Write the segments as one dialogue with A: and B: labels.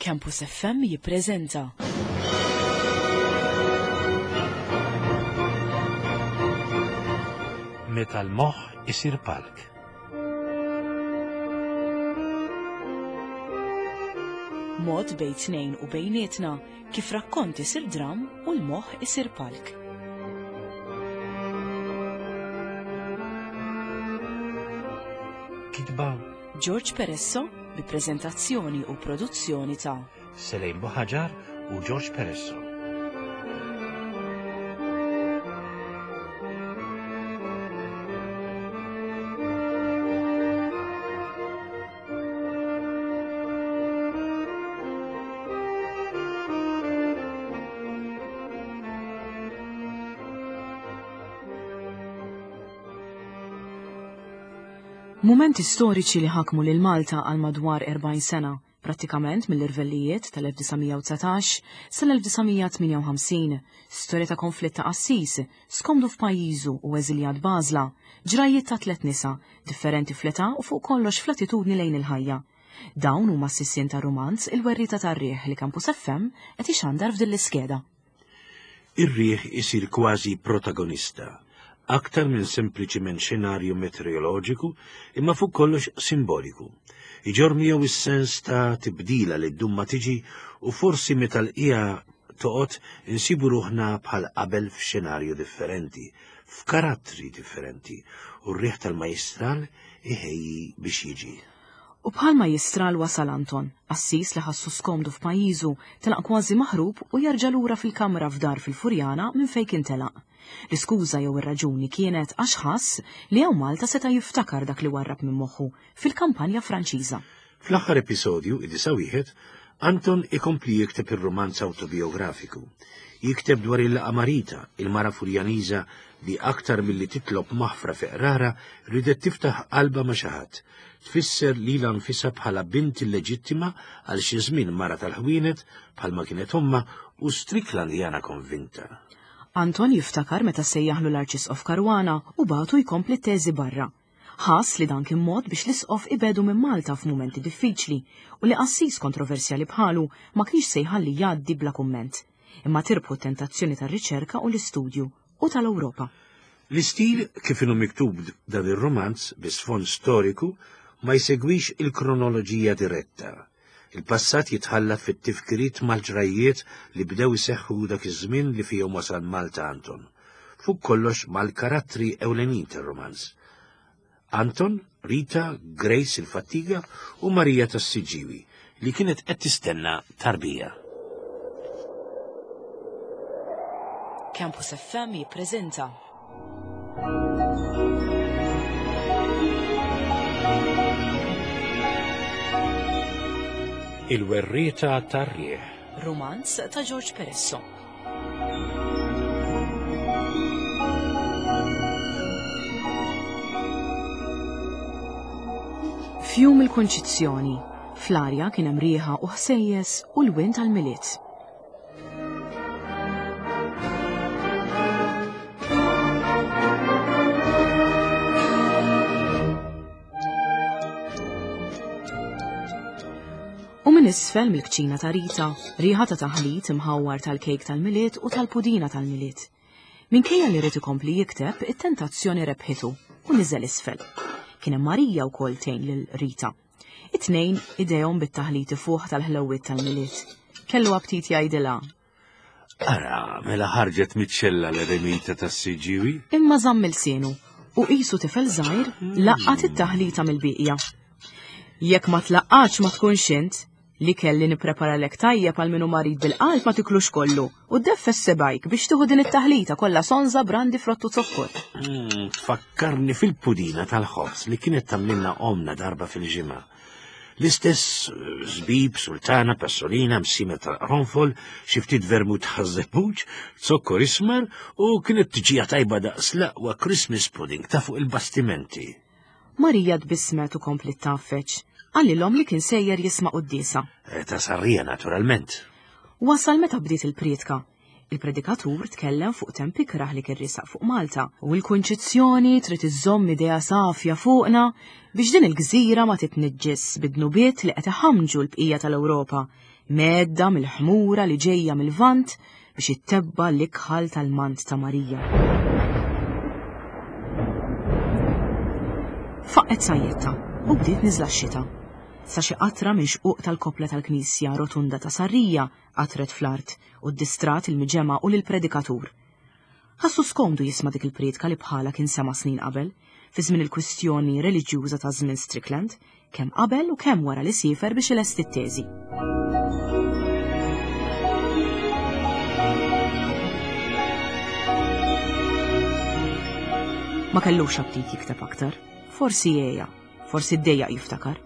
A: Campus FM jippreżenta.
B: Meta l-moħħ isir palk.
A: Mod bejn tnejn u bejnietna kif rakkont isir dram u l-moħħ isir palk.
B: Kitba
A: George Peresso bi preżentazzjoni u produzzjoni ta'
B: Selejn Buħaġar u George Peresso.
A: Mumenti storiċi li ħakmu lil Malta għal madwar 40 sena, prattikament mill-irvellijiet tal-1919 sal-1958, storja ta' konflitt ta' qassis, skomdu f'pajjiżu u eżiljat b'għażla, ġrajjiet ta' tliet nisa, differenti fl-età u fuq kollox fl-attitudni lejn il-ħajja. Dawn huma s-sisien tar-rumanz Il-Werrieta tar-Riħ li Campus FM qed ixandar f'din l-iskeda.
B: Ir-riħ isir kważi protagonista, aktar minn sempliċiment xenarju meteoroloġiku imma fuq kollox simboliku. Iġorr miegħu s-sens ta' tibdila li ddum ma tiġi u forsi meta l-qiegħa toqgħod insibu ruħna bħal qabel f'xenarju differenti, f'karattri differenti u r-riħ tal-majjistral iħejji biex jiġi.
A: U bħal majjistral wasal Anton, qassis li ħassu skomdu f'pajjiżu, telaq kważi maħrub u jerġa' lura fil-kamra f'dar fil-Furjana minn fejn kien telaq. L-iskuża jew ir-raġuni kienet għax ħass li hawn Malta seta' jiftakar dak li warrab minn moħħu fil-kampanja Franċiża.
B: Fl-aħħar episodju, id-disa' wieħed, Anton ikompli jikteb ir-rumanz awtobijografiku. Jikteb dwar il-laqgħa ma' Rita, il-mara Furjaniża li aktar milli titlob maħfra fi qrara ridet tiftaħ qalbha ma' xi ħadd. Tfisser lilha nfisha bħala bint illeġittima għal xi żmien mara tal-ħwienet bħalma kienet ommha u Stricklandjana konvinta.
A: Anton jiftakar meta sejjaħlu l-Arċisqof Caruana u bagħtu jkompli t-teżi barra. Ħass li dan kien mod biex l-Isqof ibegħdu minn Malta f'mumenti diffiċli u li qassis kontroversjali bħalu ma kienx se jħalli jgħaddi bla kumment. Imma tirbħu t-tentazzjoni tar-riċerka u l-istudju u tal-Ewropa.
B: L-istil kif inhu miktub dan ir-rumanz bi sfond storiku ma jsegwix il-kronoloġija diretta. Il-passat jitħallat fit-tifkiriet mal-ġrajjiet li bdew iseħħu dak iż-żmien li fihom wasal Malta Anton. Fuq kollox mal-karattri ewlenin tar-rumanz. Anton, Rita, Grace il-Fattiga u Marija tas-Siġġiewi li kienet qed tistenna tarbija.
A: Campus FM jippreżenta
B: Il-Werrieta tar-Riħ.
A: Rumanz ta' George Peresso. F'jum il-Kunċizzjoni, fl-arja kien hemm riħa u ħsejjes u l-wien tal-Milied. U minn isfel mill-kċina ta' Rita, riħa ta' taħlit imħawwar tal-kejk tal-Milied u tal-pudina tal-Milied. Minkejja li ried ikompli jikteb, it-tentazzjoni rebħitu u niżel isfel. Kien hemm Marija wkoll tgħin lil Rita. It-tnejn idejhom bit-taħlit ifuħ tal-ħlewwiet tal-Milied. Kellu aptit jgħidilha.
B: Ara, mela ħarġet miċ-ċella l-eremita tas-Siġġiewi.
A: Imma żamm ilsienu u qisu tifel żgħir laqqat it-taħlita mill-bieqja. Jekk ma tlaqqatx ma tkunx int, L-ikel li nippreparalek tajjeb għal min hu marid bil-qalb ma tiklux kollu u ddeffes sebgħajk biex tieħu din it-taħlita kollha sonża, brandi, frott u zokkor.
B: Mm, tfakkarni fil-pudina tal-ħobż li kienet tagħmlilna omna darba fil-ġimgħa. L-istess eh, żbib, sultana, passolina, msima tal-qronfol, xi ftit vermut ħażebbuġ, zokkor ismar u kienet tiġija tajba daqs l-aqwa Christmas pudding ta' fuq il-bastimenti.
A: Marija tbissmet u kompliet tgħaffeġ. Qalilhom li kien sejjer jisma' quddiesa.
B: Eh, ta' Sarrija, naturalment.
A: Wasal meta bdiet il-prietka. Il-predikatur tkellem fuq temp ikrah li kien riesaq fuq Malta u l-Kunċizzjoni trid iżżomm idea safja fuqna biex din il-gżira ma titniġġis bid-dnubiet li qed iħammġu l-bqija tal-Ewropa, mgħedda mill-ħmura li ġejja mil-Lvant biex ittebba' l-ikħal tal-mant ta' Marija. Faqqgħet sajjetta u bdiet niżla x-xita. Sa xi qatra minn xquq tal-koppla tal-knisja rotunda ta' Sarrija qatret fl-art u ddistrat il-miġemgħa u lill-predikatur. Ħassu skomdu jisma' dik il-prietka li bħalha kien sema' snin qabel, fi żmien il-kwistjoni reliġjuża ta' żmien Strickland, kemm qabel u kemm wara li siefer biex ilesti t-teżi. Ma kellux aptit jikteb aktar, forsi għeja, forsi ddejjaq jiftakar.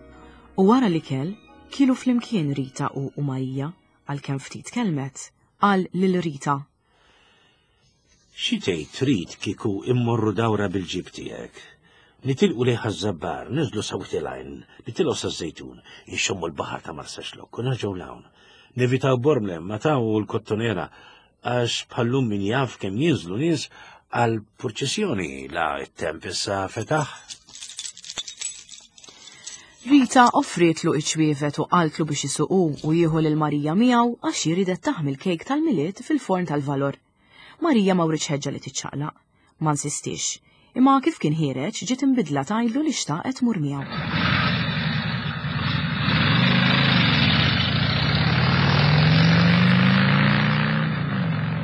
A: U wara l-ikel, Kielu flimkien Rita u u Marija, għalkemm ftit kellmet, qal lil Rita.
B: Xi tgħid trid kieku immorru dawra bil-ġib tiegħek? Nitilqu lejn Ħaż-Żabbar, niżlu sa Wied il-Għajn, nitilgħu saż-Żejtun, inxommu l-baħar ta' Marsaxlokk u nerġgħu 'l hawn. Nevitaw Bormla, Mataw u l-Kottonera għax bħallum min jaf kemm jinżlu nies għal purċissjoni la t-temp issa fetaħ.
A: Rita offrietlu iċ-ċwievet u qaltlu biex isuqu u jieħu lil Marija miegħu għax hi ridet taħmi l-kejk tal-Milied fil-forn tal-Valor. Marija ma writx ħeġġa li tiċċaqlaq. Ma nsistiex. Imma kif kien ħiereġ ġiet imbiddla tgħidlu li xtaqet tmur miegħu.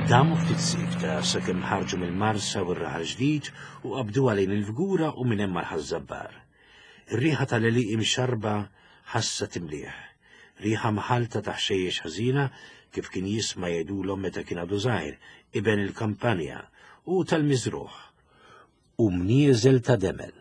B: Damu ftit siekta sakemm ħarġu mill-Marsa u r-Raħal Ġdid u qabduha lejn il-Fgura u minn hemm għal Ħaż-Żabbar. Ir-riħa tal-għelieqi mxarrba ħassha timlieh. Riħa mħallta ta' ħxejjex ħażina kif kien jisma' jgħidulhom meta kien għadu żgħir, iben il-kampanja, u tal-miżrugħ, u mnieżel ta' demel.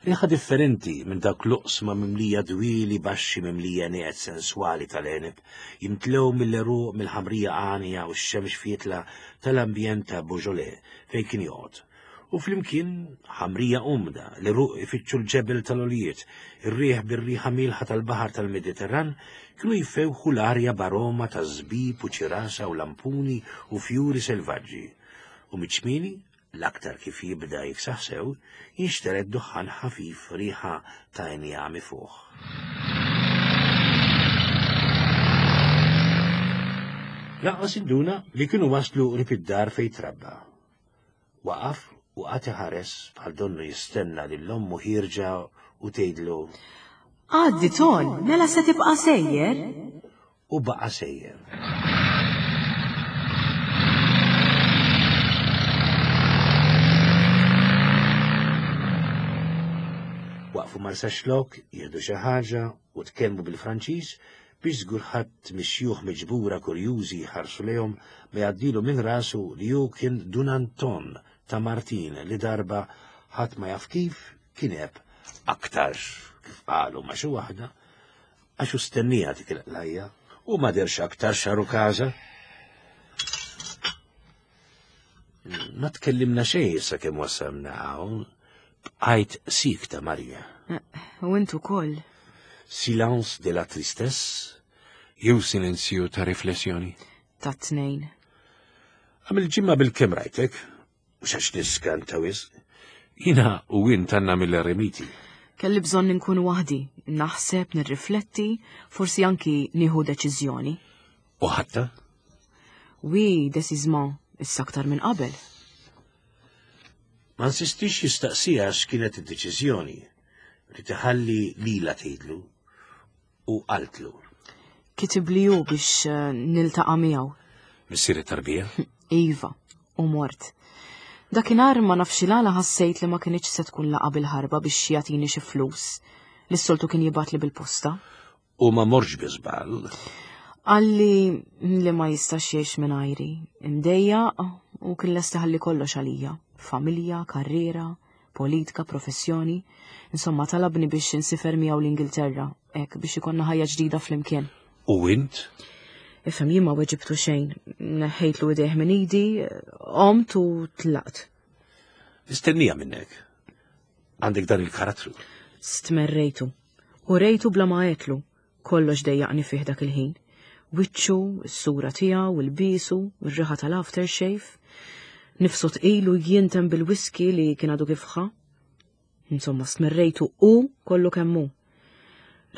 B: Riħa differenti minn dawk l-oqsma mimlija dwieli baxxi mimlija nieqed senswali tal-għeneb, jimtlew mill-għeruq mill-ħamrija għanja u x-xemx fietla tal-ambjent ta' Beaujolais fejn kien joqgħod. U flimkien ħamrija umda, l-għeruq ifittxu l-ġebel tal-għoljiet, ir-riħ bir-riħa mielħa tal-baħar tal-Mediterran kienu jfewħu l-arja b'aroma ta' żbib u ċirasa u lampuni u fjuri selvaġġi. U miċ-ċmieni, l-aktar kif jibda jiksaħ sew, jinxtered duħħan ħafif riħa ta' injam ifuħ. Lanqas induna li kienu waslu qrib id-dar fejn trabba. Waqaf u qagħad iħares bħal donnu jistenna lil ommu ħierġa u tgħidlu.
A: Għaddi Ton, mela se tibqa' sejjer?
B: U baqa' sejjer. Waqfu Marsaxlokk jieħdu xi ħaġa u tkellmu bil-Franċiż biex żgur ħadd mix-xjuħ miġbura kurjużi jħarsu lejhom ma jgħaddilu minn rasu li hu kien Dun Anton ta' Martin li darba ħadd ma jaf kif kien għeb aktarx kif qalu ma' xi waħda għax hu stenniha dik il-qlajja u ma dehrx aktar xaru każa. Ma tkellimna xejn sakemm wasalna hawn. Bqajt sikta Marija.
A: Eh, u int ukoll.
B: Silence de la tristesse jew silenzju ta' riflessjoni?
A: Ta' tnejn.
B: Għamil ġimma bil-kem rajtek, mhux għax niskanta wisq. Jina u int għandna mill-eremiti.
A: Kelli bżonn inkun waħdi, naħseb, nirrifletti, forsi anki nieħu deċiżjoni.
B: U ħatta?
A: Oui, decisement, issa aktar minn qabel.
B: Ma nsistix jistaqsiha x'kienet id-deċiżjoni li tiħalli lilha tgħidlu u qaltlu.
A: Kitibli hu biex eh, niltaqa' miegħu.
B: Missier it-tarbija?
A: Iva, u mort. Dakinhar ma nafx il-għala ħassejt li ma kinitx se tkun laqa bil-ħarba biex jagħtini xi flus li s-soltu kien jibgħatli bil-posta.
B: U ma morx bi żball.
A: Qalli li ma jistax jgħix mingħajri, imdejjaq u kien lest iħalli kollox għalija, familja, karriera, politika, professjoni. Insomma, talabni biex insifer miegħu l-Ingilterra, hekk biex ikollna ħajja ġdida flimkien.
B: U int?
A: Ifhem jien ma weġibtu xejn, neħħejtlu idejh minn idi, qomt u tlaqt.
B: Nistennija minnek. Għandek dan il-karattru.
A: Stmerrejtu. U rejtu bla ma għedtlu. Kollox dejjaqni fih dak il-ħin. Wiċċu, is-sura tiegħu, il-bisu, ir-riħa tal-aftershave, nifsu tqil u jintem bil-whisky li kien għadu kif ħa. Insomma, smerrejtu u kollu kemm hu.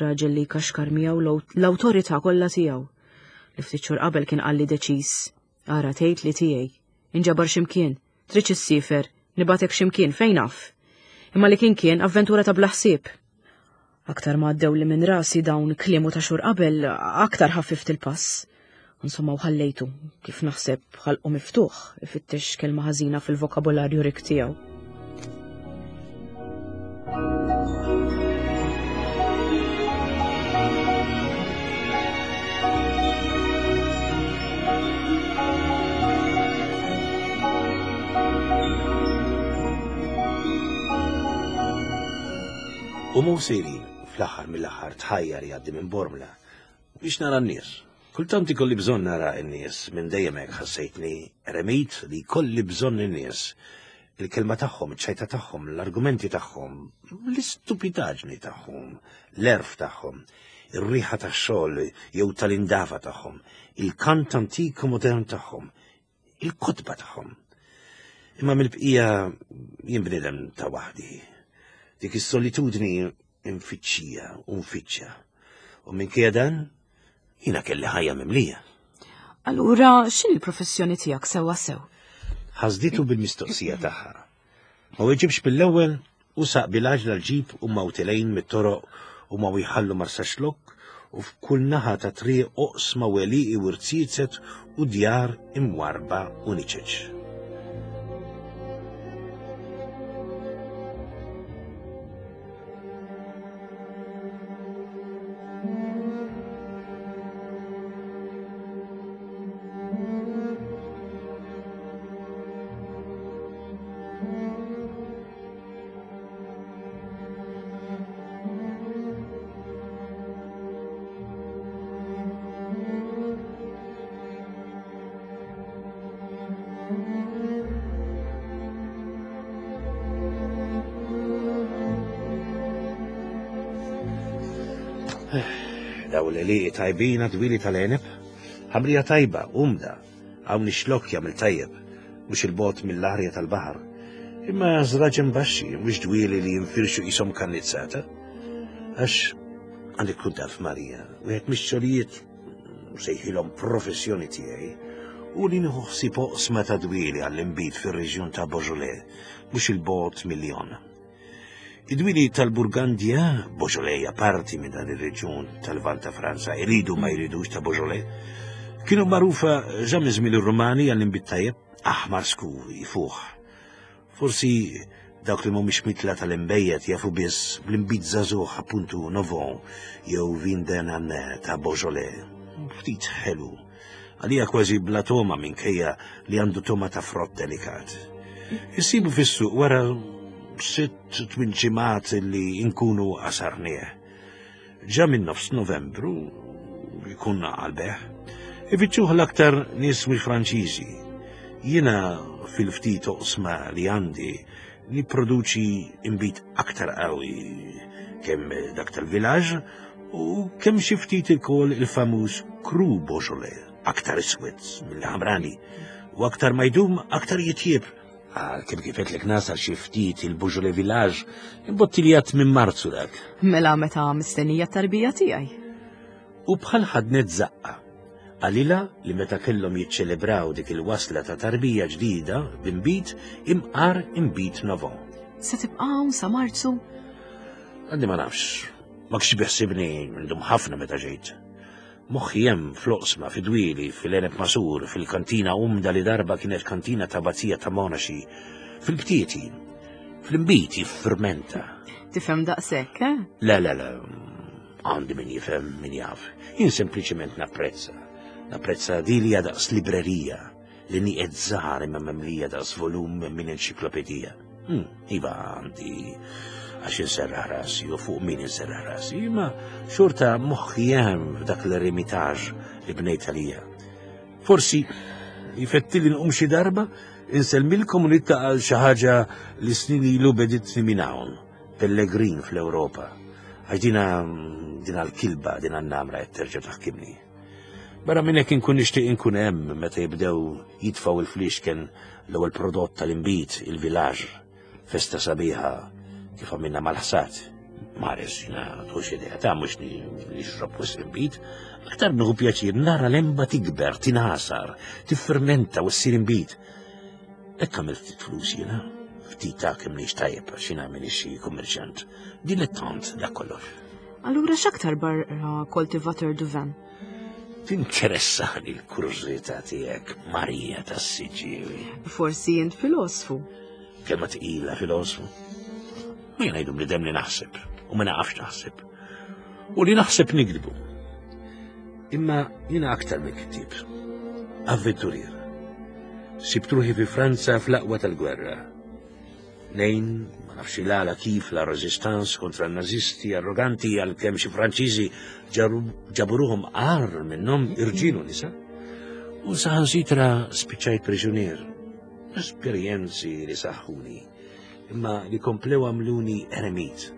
A: Raġel li kaxkar miegħu l-awtorità kollha tiegħu. Li ftit xhur qabel kien qalli deċiż. Ara tgħid li tiegħi. Inġabar x'imkien, tridx issifer, nibatek x'imkien fejn naf. Imma li kien kien avventura ta' bla ħsieb. Aktar ma għaddew li minn rasi dawn kliemu ta' xhur qabel, aktar ħaffift il-pass. Insomma, u ħallejtu, kif naħseb ħalqu miftuħ, ifittex kelma ħażina fil-vokabolarju rik tiegħu.
B: U mhu sejrin fl-aħħar mill-aħħar tħajjar jgħaddi minn Bormla biex nara n-nies. Kultant ikolli bżonn nara n-nies minn dejjem hekk ħassejtni eremit li jkolli bżonn in-nies. Il-kelma tagħhom, iċ-ċajta tagħhom, l-argumenti tagħhom, l-istupidaġni tagħhom, l-għerf tagħhom, ir-riħa tax-xogħol jew tal-indafa tagħhom, il-kant antik u modern tagħhom, il-kotba tagħhom. Imma mill-bqija jien bniedem ta' waħdi. Dik is-solitudni nfittxija u nfittxa. U minkejja dan, jiena kelli ħajja mimlija.
A: Allura, x'inhi l-professjoni tiegħek sewwa sew?
B: Ħasditu bil-mistoqsija tagħha. Ma weġibx mill-ewwel u saq bil-għaġla l-ġip u ma telgħin mit-toroq u ma jħallu Marsaxlokk u f'kull naħa ta' triq oqsma u għelieqi u rziezet u djar imwarrba u niċeċ. Daw l-għelieqi tajbin għad-dwieli tal-għeneb, ħamrija tajba, umda, Hawn ix-xlokk jagħmel tajjeb, mhux 'il bogħod mill-arja tal-baħar. Imma żraġen baxxi, mhux dwieli li jinfirxu qishom kannizzata. Għax għandek tkun taf Marija, wieħed mix-xogħlijiet sejħilhom professjoni tiegħi u li nieħu ħsieb oqsma ta' dwieli għall-inbid fir-reġjun ta' Beaujolais, mhux il-bogħod mil-Lyon. Id-dwieli tal-Burgandja, Beaujolais hija parti minn dan ir-reġjun tal-Lvant ta' Franza, iridu ma jridux ta' Beaujolais, kienu magħrufa ġa minn żmien ir-Rumani għall-inbid tajjeb, aħmar skur, ifuħ. Forsi dawk li mhumiex mitla tal-inbejjed jafu biss bl-inbid żagħżugħ appuntu Novon jew Vin de Nanne ta' Beaujolais, ftit ħelu. Għalija kważi bla toma minkejja li għandu toma ta' frott delikat. Issibu fis-suq wara sitt tmien ġimgħat li nkunu għasarnieh. Ġa minn nofs Novembru jkun għal-beħ. Ifittxuh l-aktar nies mhux Franċiżi. Jiena fil-ftit oqsma li għandi nipproduċi imbit aktar qawwi kemm dak tal-villaġ U kemm xi ftit ukoll il-famuż Cru Beaujolais, aktar iswed mill-ħamrani, u aktar ma jdum aktar jitjieb. Għal kemm kif qedlek nasal xi ftit il-Beaujolais Village, imbottiljat minn Marzu dak.
A: Mela meta mistennija t-tarbija tiegħi.
B: U bħal ħadnet zaqqa. Qalilha li meta kellhom jiċċelebraw dik il-wasla ta' tarbija ġdida b'imbid imqar imbid novo.
A: Se tibqa' hawn sa Marzu?
B: Għadni ma nafx. Ma kienx biħsibni ndum ħafna meta ġejt. Moħħi hemm fl-oqsma, fid-dwieli, fil-għeneb masur, fil-kantina umda li darba kienet kantina ta' bazija ta' monaxi, fil-btieti, fl-imbit jiffirmenta.
A: Tifhem daqshekk, eh?
B: Le, le, le, għandi min jifhem, min jaf. Jien sempliċement napprezza. Napprezza di li daqs librerija li nieqed żgħar imma memlija daqs volum minn enċiklopedija. Hmm, iva għandi għax inserraħ rasi u fuq min inserraħ rasi, imma xorta moħħi hemm f'dak l-eremitaġ li bnejt għalija. Forsi jifetti li nqum xi darba insellmilkom u nittaqal xi ħaġa li snin ilu beditni minn hawn, pellegrin fl-Ewropa. Għax dina dina l-kilba, dina n-namra qed terġa' taħkimni. Barra minn hekk inkun nixtieq inkun hemm meta jibdew jitfgħu il-fliexken l-ewwel prodott tal-inbid, il-vilaġ, festa sabiħa kif għamilna mal-ħsad. Mares, jina tħux idea ta' mux nixrob wisq inbid, aktar nieħu pjaċir nara l-emba tikber, tinasar, tiffermenta u ssir inbid. Hekk għamilt ftit flus jiena, ftit ta' kemm nix tajjeb għax jiena m'iniex xi kummerċjant. Dilettant dak kollox.
A: Allura x'aktar barra koltivator du vin?
B: Tinteressani l-kurżità tiegħek, Marija tas-Siġġiewi.
A: Forsi int filosfu.
B: Kelma tqila filosfu. Ma jien ngħidu bniedem li naħseb u ma naqafx naħseb. U li naħseb nikdbu. Imma jiena aktar minn kittieb. Avventurier. Sibt ruħi fi Franza fl-aqwa tal-gwerra. Nejn, ma nafx il-għala kif la rezistanz kontra n-nazisti arroganti għal kemm xi Franċiżi ġaburuhom għar minnhom irġiel u nisa. U saħansitra spiċċajt priġunier. Esperjenzi li saħħuni, imma li komplew għamluni eremit.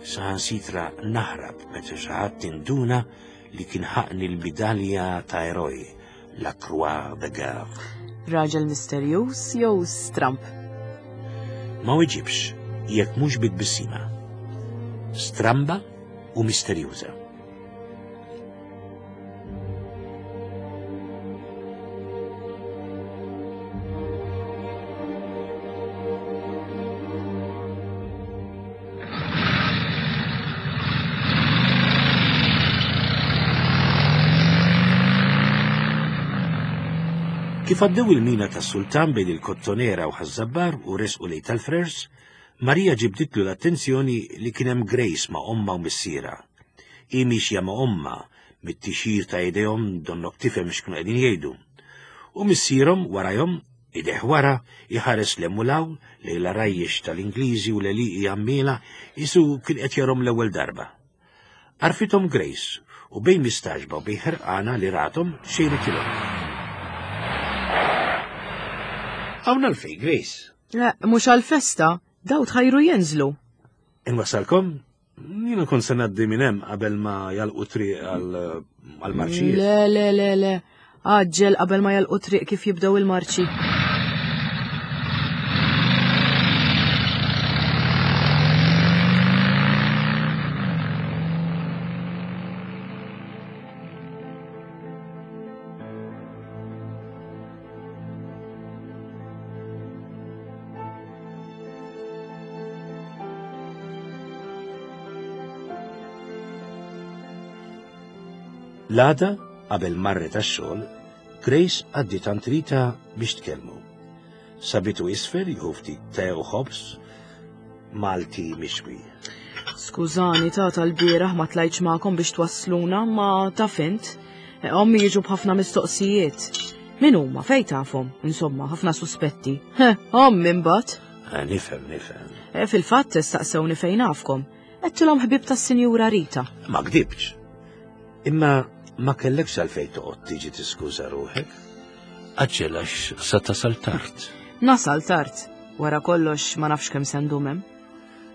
B: Saħansitra naħrab meta xi ħadd induna li kien ħaqni l-midalja ta' eroj La Croix de Guerre.
A: Raġel misterjuż jew stramp?
B: Ma weġibx jekk mhux bi tbissima. Stramba u misterjuża. Kif għaddew il-mina tas-sultan bejn il-Kottonera u Ħaż-Żabbar u resqu lejn tal-Frers, Marija ġibditlu l-attenzjoni li kien hemm Grace ma' ommha u missierha. Hi miexja ma' ommha, mit-tixjir ta' idejhom donnok tifhem x'kienu qegħdin jgħidu. U missierhom warajhom Idejh wara, iħares 'l hemm u 'l hawn, lejn l-għarajjex tal-Ingliżi u l-għelieqi għammiela, qisu kien qed jarhom l-ewwel darba. Għarfithom Grace, u bejn mistagħġba u bejn ħerqana li rathom, xejritilhom. Hawn għalfejn, Grace?
A: Le, mhux għall-festa, daw tħajru jinżlu.
B: Inwassalkom? Jiena kont se ngħaddi minn hemm qabel ma jalqu triq għall-marċijiet.
A: Le, le, le, le. Għaġġel qabel ma jalqu triq kif jibdew il-marċi.
B: L-għada, qabel marret għax-xogħol, Grace għaddiet għand Rita biex tkellmu. Sabitu isfel jieħu ftit te u ħobż Malti mixwi.
A: Skużani ta' tal-bieraħ ma tlajtx magħkom biex twassluna, ma taf int. Eh, ommi jiġu b'ħafna mistoqsijiet. Min huma fejn tafhom? Insomma, ħafna suspetti. Ommi mbagħad.
B: Eh, nifhem, nifhem.
A: Eh, fil-fatt staqsewni fejn nafkom. Għedtilhom ħbieb tas-Sinjura Rita.
B: Ma gdibtx. Imma ma kellekx għalfejn toqgħod tiġi tiskuża ruħek. Aġġel għax sa tasal tard.
A: Nasal tard. Wara kollox ma nafx kemm se ndum hemm.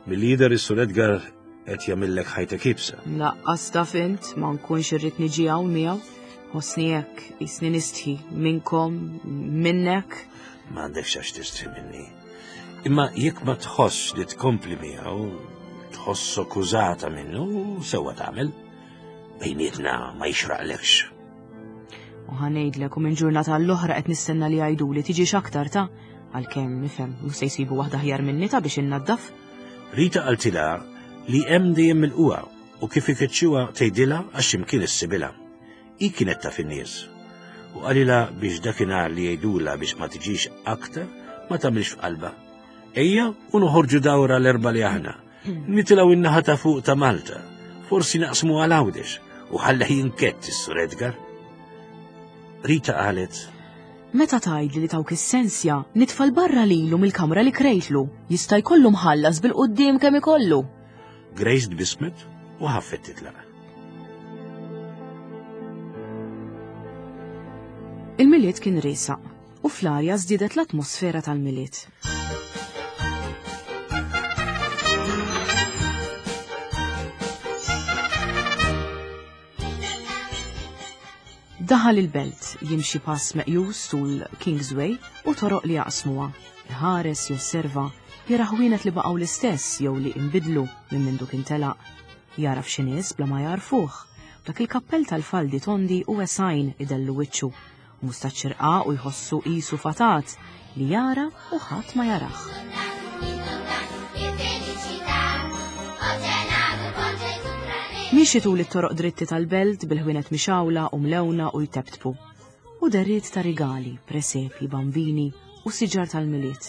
B: Milli jidher is-Sur Edgar qed jagħmillek ħajtek iebsa.
A: Laqqas taf int ma nkunx irrid niġi hawn miegħu. Ħossni hekk, jisni nistħi minnkom, minnek.
B: M'għandekx għax tistħi minni. Imma jekk ma tħossx li tkompli miegħu, tħossok użata minnu, sewwa tagħmel. Bejnietna ma jixraqlekx.
A: U ħanejdlek u minn ġurnata għall-oħra qed nistenna li jgħiduli tiġix aktar ta' għalkemm nifhem mhux se jsibu waħda aħjar minni ta' biex innaddaf.
B: Rita qaltilha li hemm dejjem milquha u kif ikeċċuha tgħidilha għax x'imkien issibilha. Hi kienet taf in-nies. U qalilha biex dakinhar li jgħidulha biex ma tiġix aktar ma tagħmilx f'qalbha. Ejja u noħorġu dawra l-erba' li aħna. Nitilgħu in-naħa ta' fuq ta' Malta. Forsi naqsmu għal Għawdex u ħalla jinkett is-Sur Edgar. Rita qalet,
A: Meta tgħidli li tawk is-sensja, nitfa' 'l barra lilu mill-kamra li krejtlu. Jista' jkollu mħallas bil-quddiem kemm ikollu.
B: Grace tbissmet u ħaffet titlaq.
A: Il-Milied kien riesaq u fl-arja żdiedet l-atmosfera tal-Milied. Daħal il-belt jimxi pass meqjus tul Kingsway u toroq li jaqsmuha. Iħares, josserva, jara ħwienet li baqgħu l-istess jew li inbidlu minn mindu kien telaq. Jagħraf xi nies bla ma jagħrfuh. Dak il-kappell tal-faldi tondi u wesgħin idellu wiċċu. U mustaċċ irqaq u jħossu qisu fatat li jara u ħadd ma jarah. Miexi tul it-toroq dritti tal-belt bil-ħwienet mixgħula u mlewna u jteptpu. U deriet ta' rigali, presepji, bambini u siġar tal-Milied.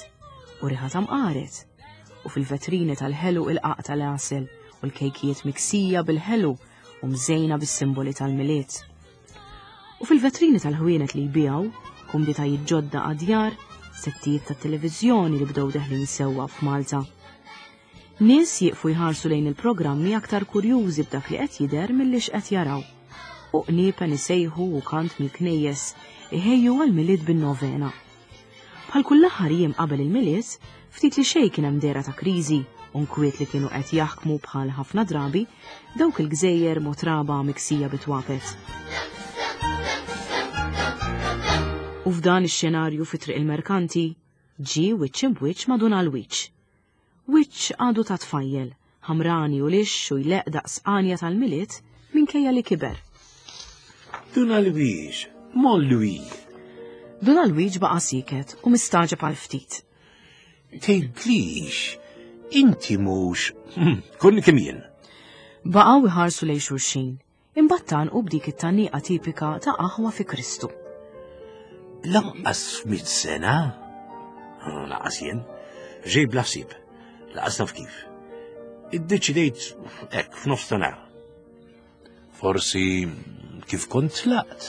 A: U riħa ta' mqaret. U fil-vetrini tal-ħelu il-qaq tal-għasel u l-kejkijiet miksija bil-ħelu u mżejna bis-simboli tal-Milied. U fil-vetrini tal-ħwienet li jbiegħu, kumditajiet ġodda għad-djar, settijiet tat-televiżjoni li bdew deħlin sewwa f'Malta. Nies jieqfu jħarsu lejn il-programmi aktar kurjużi b'dak li qed jidher milli x'qed jaraw. U qniepen isejħu u kant mill-knejjes iħejju għall-Milied bin-novena. Bħal kull aħħar jiem qabel il-Milied, ftit li xejn kien hemm dehra ta' kriżi u nkwiet li kienu qed jaħkmu bħal ħafna drabi dawk il-gżejjer motraba miksija bit-twapet. U f'dan ix-xenarju fi Triq il-Merkanti, ġie wiċċ imb'wiċċ ma' Dun Alwiċ. Wiċċ għadu ta' tfajjel, ħamrani u lixx u jleqq daqs għanja tal-Milied minkejja li kiber.
B: Dun Alwiġ, Mon Louis.
A: Dun Alwiġ baqa' sieket u mistagħġeb għal ftit.
B: Tgħidlix, inti mhux, kun kemm jien.
A: Baqgħu iħarsu lejn xulxin. Imbagħad tgħannqu b'dik it-tgħanniqa tipika ta' aħwa fi Kristu.
B: Lanqas f'mitt sena? Lanqas jien. Ġej bla ħsieb. Lanqas naf kif. Iddeċidejt hekk f'nofs ta' nhar. Forsi kif kont tlaqt.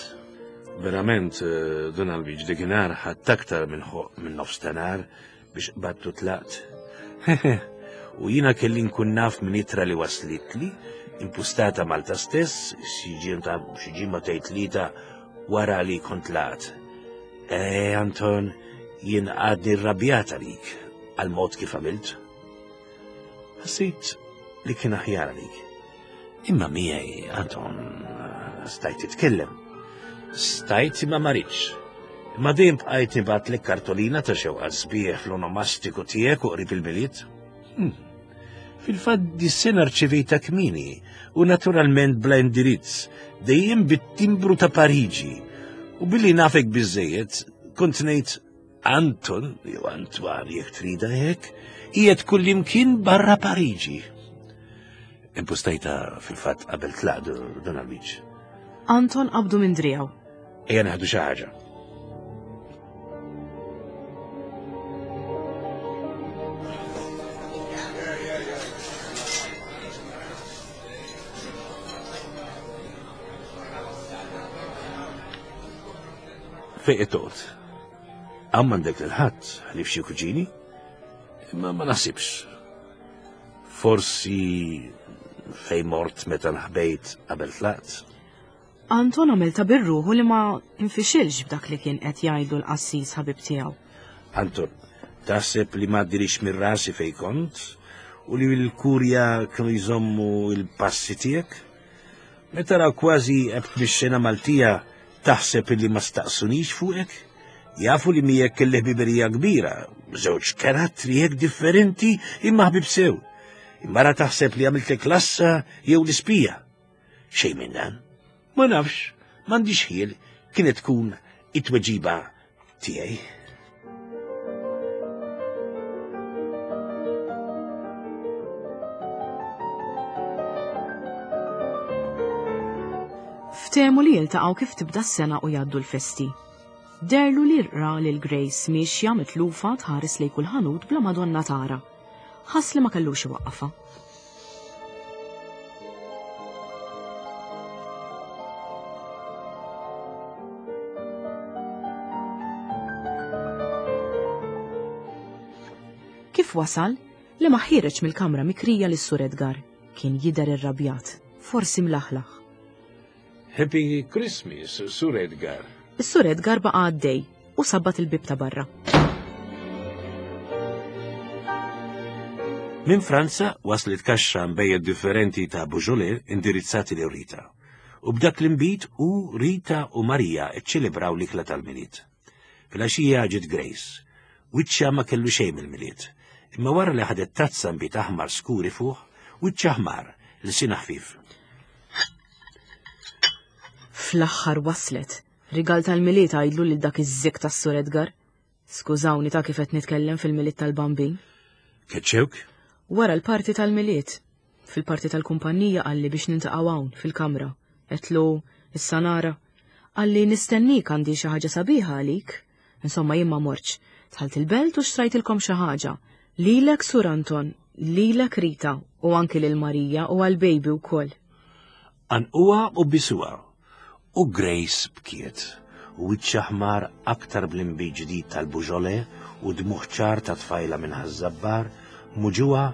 B: Verament, eh, Don Albiġ, dikinhar ħadd aktar minn minn nofs ta' nhar biex qbadtu tlaqt. U jiena kelli nkun naf minn itra li waslitli, impustata Malta stess, xi ġimgħa tgħid tlieta wara li kont tlaqt. Eh, Anton, jien għadni rrabjat għalik għal mod kif għamilt. Ħassejt li kien aħjar għalik. Imma miegħi, Anton, stajt titkellem. Stajt imma ma ridx. Imma dejjem bqajt nibgħatlek kartolina ta' xewqa sbieħ fl-onomastiku tiegħek u qrib il-Milied. Hmm. Fil-fatt dis-sena rċevejta kmieni u naturalment bla indirizz, dejjem bit-timbru ta' Pariġi. U billi nafek biżejjed, kont ngħid Anton, jew Antoine jekk trida hekk, qiegħed kullimkien barra Pariġi. Impustajta fil-fatt qabel tlaq dan għal-wiċċ.
A: Anton qabdu minn driegħu.
B: Ejja naħdu xi ħaġa. Fejn qed toqgħod? Hawn m'għandek lil ħadd ħlief xi kuġini? Imma ma naħsibx. Forsi fejn mort meta nħbejt qabel tlaqt?
A: Anton għamel ta' birruħu li ma nfixilx b'dak li kien qed jgħidlu l-qassis ħabib tiegħu.
B: Anton, taħseb li ma għaddilix minn rasi fejn kont u li l-kurja kienu jżommu il-passi tiegħek? Meta raw kważi għebt mix-xena Maltija taħseb illi ma staqsunix fuqek? Jafu li miegħek kelli ħbiberija kbira, żewġ karattri hekk differenti imma ħbib sew. Imma ra taħseb li għamiltlek lassa jew l-ispija. Xejn minn dan. Ma nafx, m'għandix ħiel kienet tkun it-tweġiba tiegħi.
A: Ftehmu li jiltaqgħu kif tibda s-sena u jgħaddu l-festi. Derlu li ra lil Grace miexja mitlufa tħares lejn kull ħanut bla Madonna tara. Ħass li ma kellux iwaqqafha. Kif wasal, li ma ħireġ mill-kamra mikrija lis sur Edgar, kien jidher irrabjat, forsi mlaħlaħ.
B: Happy Christmas, Sur Edgar.
A: Is-Sur Edgar baqa' għaddej u sabbat il-bieb ta' barra.
B: Minn Franza waslet kaxxa nbejjed differenti ta' Beaujolais indirizzati lil Rita. U b'dak l-inbid u Rita u Marija ċċelebraw l-ikla tal-Milied. Filgħaxija ġiet Grace. Wiċċha ma kellu xejn mill-Milied. Imma wara li ħadet tazza nbid aħmar skur ifuħ, wiċċha ħmar, lsienha ħfief.
A: Fl-aħħar waslet. Rigal tal-Milied għidlu lil dak iż-żikk tas-Sur Edgar. Skużawni ta' kif qed nitkellem fil-Milied tal-Bambin.
B: Keċċewk?
A: Wara l-parti tal-Milied. Fil-parti tal-kumpanija qalli biex nintaqgħu hawn fil-kamra. Għedtlu, issa nara. Qalli nistennik għandi xi ħaġa sabiħa għalik. Insomma jien ma mortx. Dħalt il-belt u xtrajtilkom xi ħaġa. Lilek Sur Anton, lilek Rita u anki lil Marija u għall-baby wkoll.
B: Għanquha u bisuha. U Grace bkiet, u wiċċha ħmar aktar bl-inbid ġdid tal-Beaujolais u dmugħ ċar ta' tfajla minn Ħaż-Żabbar, muġugħa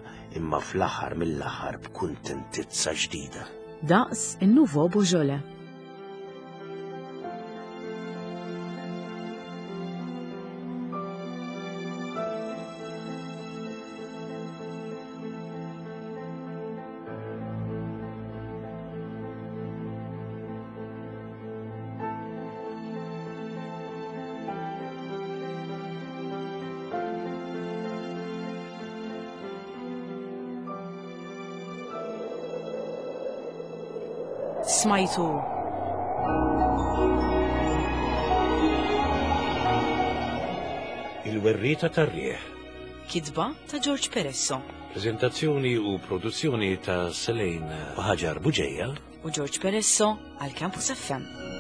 B: imma fl-aħħar mill-aħħar b'kuntentizza ġdida.
A: Daqs in-Nouveau Beaujolais. Smajtu.
B: Il-werrieta tar-riħ.
A: Kitba ta' George Peresso.
B: Preżentazzjoni u produzzjoni ta' Selene u Ħaġar Buġeja
A: u George Peresso għal Campus FM.